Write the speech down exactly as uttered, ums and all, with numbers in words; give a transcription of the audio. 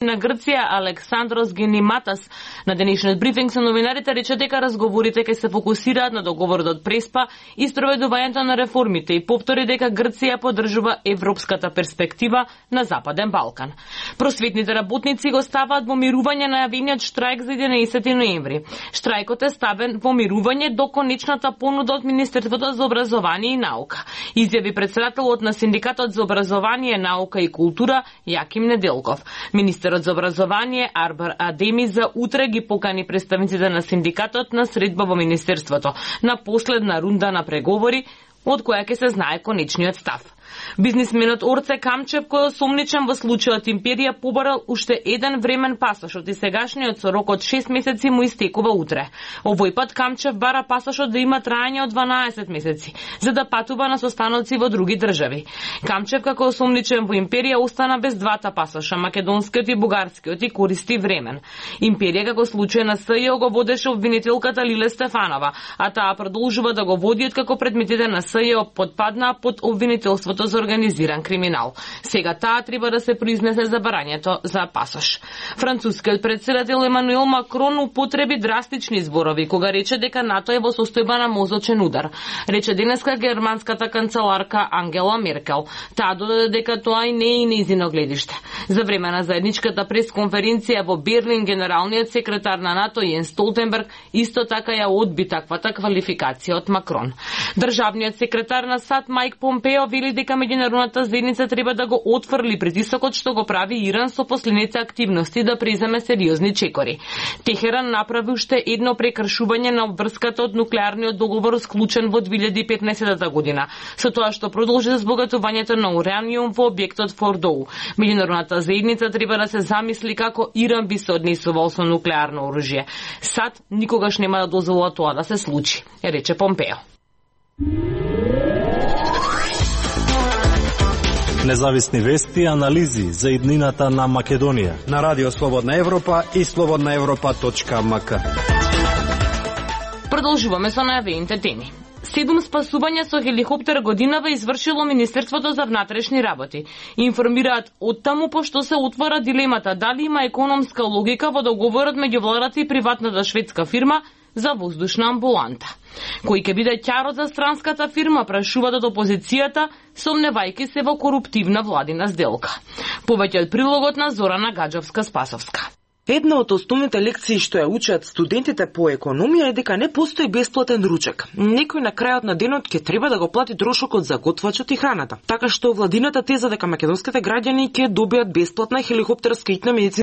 на Грција Александрос Генематас на денешниот брифинг со новинарите рече дека разговорите ќе се фокусираат на договорот од Преспа и спроведувањето на реформите и повтори дека Грција поддржува европската перспектива на Западен Балкан. Просветните работници го ставаат во мирување најавениот штрајк за единаесети ноември. Штрајкот е ставен во мирување до конечната понуда од Министерството за образование и наука, изјави претседателот на Синдикатот за образование, наука и култура Јаким Неделков. Министерот за образование Арбар Адеми за утре ги покани представниците на синдикатот на средба во Министерството на последна рунда на преговори, од која ќе се знае конечниот став. Бизнисменот Орце Камчев, кој е осомничен во случајот Империја, побарал уште еден времен пасошот и сегашниот со рок од шест месеци му истекува утре. Овој пат Камчев бара пасошот да има траење од дванаесет месеци, за да патува на состаноци во други држави. Камчев, како осомничен во Империја, остана без двата пасоша, македонскиот и бугарскиот, и користи времен. Империја, како случај на СЈО, го водеше обвинителката Лиле Стефанова, а таа продолжува да го води откако предметите на СЈО подпаднаа под обвинителството за организиран криминал. Сега таа треба да се произнесе за барањето за пасош. Францускиот претседател Емануел Макрон употреби драстични зборови кога рече дека НАТО е во состојба на мозочен удар. Рече денеска германската канцеларка Ангела Меркел. Таа додаде дека тоа и не е и нејзино гледиште. За време на заедничката пресконференција во Берлин, генералниот секретар на НАТО Јенс Столтенберг исто така ја одби таквата квалификација од Макрон. Државниот секретар на САД Мајк Помпео вели дека меѓународната заедница треба да го отфрли притисокот што го прави Иран со последните активности да преземе сериозни чекори. Техеран направи уште едно прекршување на обврската од нуклеарниот договор склучен во две илјади и петнаесета година, со тоа што продолжи збогатувањето на ураниум во објектот Фордоу. Меѓународната заедница треба да се замисли како Иран би се однесувал со нуклеарно оружје. САД никогаш нема да дозвола тоа да се случи, рече Помпео. Независни вести и анализи за иднината на Македонија на Радио Слободна Европа и слободна европа точка ем ка. Продолжуваме со најавените теми. Седум спасувања со хеликоптер годинава извршило Министерството за внатрешни работи. Информираат оттаму пошто се отвора дилемата дали има економска логика во договорот меѓу владата и приватната шведска фирма за воздушна амбуланта. Кој ќе биде ќарот за странската фирма, прашуваат од опозицијата, сомневајќи се во коруптивна владина сделка. Повеќе од прилогот на Зорана Гаджовска-Спасовска. Една од основните лекции што ја учат студентите по економија е дека не постои бесплатен ручек. Некој на крајот на денот ќе треба да го плати трошокот за готвачот и храната. Така што владината теза дека македонските граѓани ќе добијат бесплатна хеликоптерска итна медицинска